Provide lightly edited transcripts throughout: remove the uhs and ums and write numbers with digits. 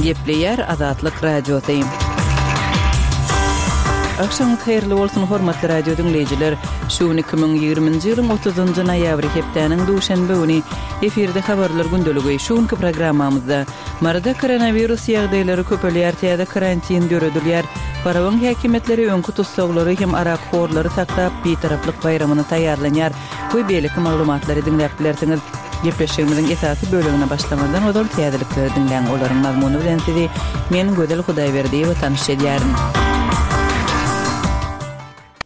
Gepleýär Azatlyk Radiosy. Agşamyňyz haýyrly bolsun, hormatly radio diňleýjiler! Şu gün 2020-nji ýylyň 30-njy noýabry, hepdäniň duşenbe güni. Efirde Habarlar gündeligi. Şu günki programmamyzda, Maryda koronawirus ýagdaýlary köpelýär, täze karantin döredilýär. Farabyň häkimiýetleri öňki tussaglary hem arakhorlary saklap, Bitaraplyk baýramyna taýýarlanýar we beýleki maglumatlary diňläp bilersiňiz. Gepleşigimiziň esasy bölegine başlamazdan ozal täzelikleri diňläň, olaryň mazmuny bilen sizi men, Gözel Hudaýberdiýewa tanyş edýärin.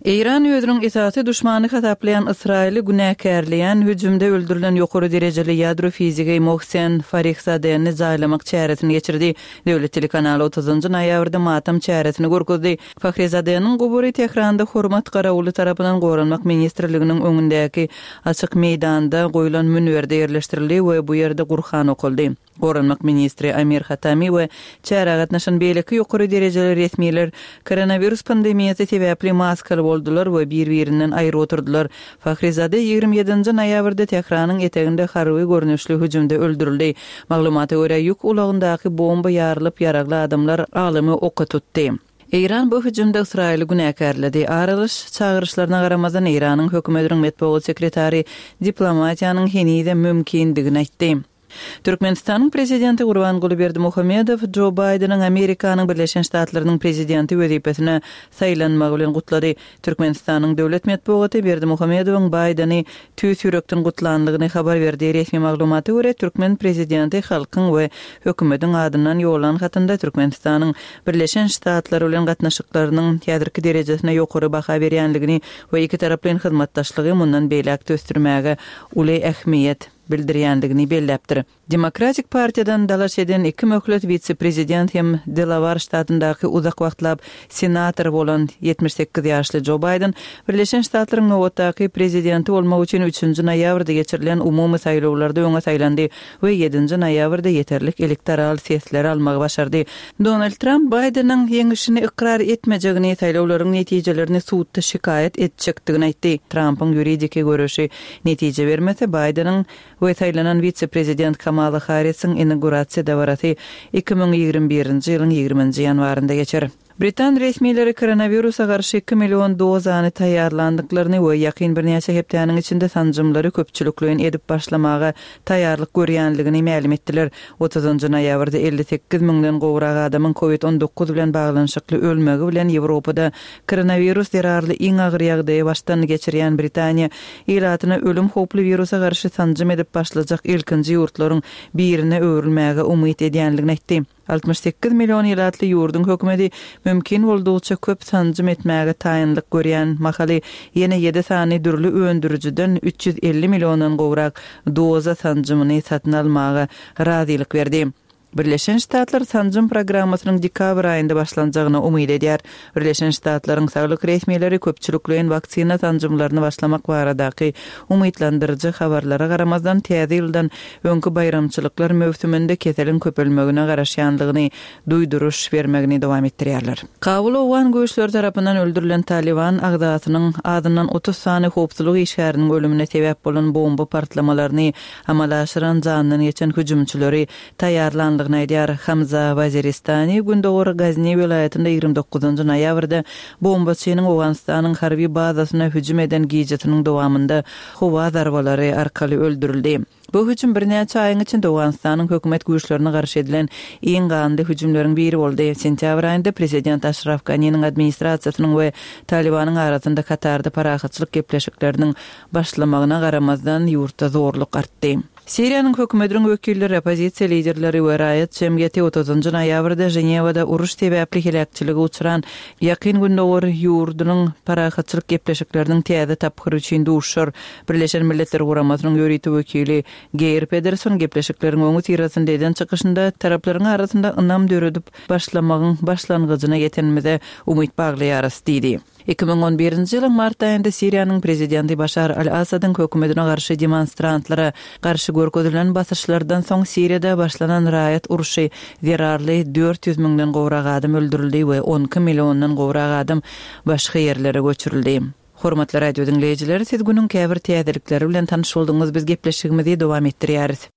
Eýran özüniň esasy duşmany hasaplaýan Ysraýyly günäkärleýän hüjümde öldürilen ýokary derejeli ýadro fizigi Mohsen Farihzadeni jaýlamak çäresini geçirdi. Döwlet telekanaly otuzynjy noýabrda matam çäresini görkezdi. Fahrizadeniň gubury Tähranda hormat garawuly tarapyndan Goranmak ministrliginiň öňündäki açyk meýdanda goýlan münberde ýerleşdirildi we bu ýerde Gurhan okaldy. Goranmak ministri Amir Hatami we çärä gatnaşan beýleki ýokary derejeli resmiler koronawirus pandemiýasy sebäpli maskaly boldular we bir-birinden aýry oturdylar. Fahrizade 27-nji noýabrda Tähranyň eteginde harby görnüşli hüjümde öldürildi. Maglumata görä, ýük ulagyndaky bomba ýarylyp, ýaragly adamlar alymy oka tutdy. Eýran bu hüjümde Ysraýyly günäkärledi. Ar alyş çagyryşlaryna garamazdan, Eýranyň hökümetiniň metbugat sekretary diplomatiýanyň henizem mümkindigini aýtdy. Türkmenistanyň Prezidenti Gurbanguly Berdimuhamedow Jo Baýdeniň Amerikanyň Birleşen Ştatlarynyň Prezidenti wezipesine saýlanmagy bilen gutlady. Türkmenistanyň döwlet metbugaty Berdimuhamedowyň Baýdeni tüýs ýürekden gutlandygyny habar berdi. Resmi maglumata görä, türkmen prezidenti halkyň we hökümetiň adyndan ýollan hatynda Türkmenistanyň Birleşen Ştatlary bilen gatnaşyklarynyň häzirki derejesine ýokary baha berýändigini we ikitaraplaýyn hyzmatdaşlygy mundan beýläk-de ösdürmäge uly ähmiýet bildirýändigini belläpdir. Demokratik partiýadan dalaş eden iki möhlet wise-prezident hem Delawar ştatyndaky uzak wagtlap senator bolan 78 ýaşly Jo Baýden Birleşen Ştatlaryň nobatdaky prezidenti bolmak üçin üçünji noýabrda geçirilen umumy saýlawlarda öňe saýlandy we ýedinji noýabrda ýeterlik elektoral sesleri almagy başardy. Donald Tramp Baýdeniň ýeňişini ykrar etmejegini, saýlawlaryň netijelerini sudda şikaýat etjekdigini aýtdy. Trampyň ýuridiki göreşi Netije bermese, Baýdeniň we saýlanan wise-prezident Kamala Harrisiň inaugurasiýa dabarasy 2021-nji ýylyň ýigriminji ýanwarynda geçer. Britan resmileri koronawirusa garşy iki million dozany taýýarlandyklaryny we ýakyn birnäçe hepdäniň içinde sanjymlary köpçülikleýin edip başlamaga taýýarlyk görýänligini mälim etdiler. Otuzynjy noýabrda 58 müňden gowrak adamyň covid 19 bilen baglanyşykly ölmegi bilen Ýewropada Koronawirus zerarly iň agyr ýagdaýy başdan geçirýän Britaniýa ilatyna ölüm howply wirusa garşy sanjym edip başlajak ilkinji ýurtlaryň birine öwrülmäge umyt edýänligini aýtdy. 68 million ilatly ýurduň hökümeti mümkin boldugyça köp sanjym etmäge taýynlyk görýän mahaly ýene ýedi sany dürli öndürijiden 350 milliondan gowrak doza sanjymyny satyn almaga razylyk berdi. Birleşen Ştatlar sanjym programmasynyň dekabr aýynda başlanjagyna umyt edýär. Birleşen Ştatlaryň saglyk resmileri köpçülikleýin waksina sanjymlaryny başlamak baradaky umytlandyryjy habarlara garamazdan, täze ýyldan öňki baýramçylyklar möwsüminde keseliň köpelmegine garaşýandygyny duýduryş bermegini dowam etdirýärler. Kabul owgan güýçleri tarapyndan öldürilen Talyban agzasynyň azyndan 30 sany howpsuzlyk işgäriniň ölümine sebäp bolan bomba partlamalaryny amala aşyran janyndan geçen hüjümçileri taýýarlandygyny aýdýar. Hamza Waziristani gündogar Gazni welaýatynda 29 noýabrda bombaçynyň Owganystanyň harby bazasyna hüjüm eden gijesiniň dowamynda howa zarbalary arkaly öldürildi. Bu hüjüm birnäçe aýyň içinde Owganystanyň hökümet güýçlerine garşy edilen iň ganly hüjümleriň biri boldy. Sentýabr aýynda prezident Aşraf Ganiniň administrasiýasynyň we Talybanyň arasynda Katarda parahatçylyk gepleşikleriniň başlamagyna garamazdan, ýurtda zorluk artdy. Siriýanyň hökümetiniň wekilleri, oppozisiýa liderleri we raýat jemgyýeti otuzynjy noýabrda Ženewada uruş sebäpli heläkçilige uçran Ýakyn Gündogar ýurdunyň parahatçylyk gepleşikleriniň täze tapgyry üçin duşuşar. Birleşen Milletler Guramasynyň ýörite wekili Geýr Pederson gepleşikleriň öňüsyrasynda eden çykyşynda taraplaryň arasynda ynam döredip başlamagyň başlangyjyna ýetenimize umyt baglaýarys diýdi. 2011-nji ýylyň mart aýynda Siriýanyň prezidenti Başar al-Assadyň hökümetine garşy demonstrantlara garşy görkezilen basyşlardan soň Siriýada başlanan raýat urşy zerarly 400 müňden gowrak adam öldürildi we 12 milliondan gowrak adam başga ýerlere göçürildi. Hormatly radio diňleýjiler, siz günüň käbir täzelikleri bilen tanyş bolduňyz, biz gepleşigimizi dowam etdirýäris.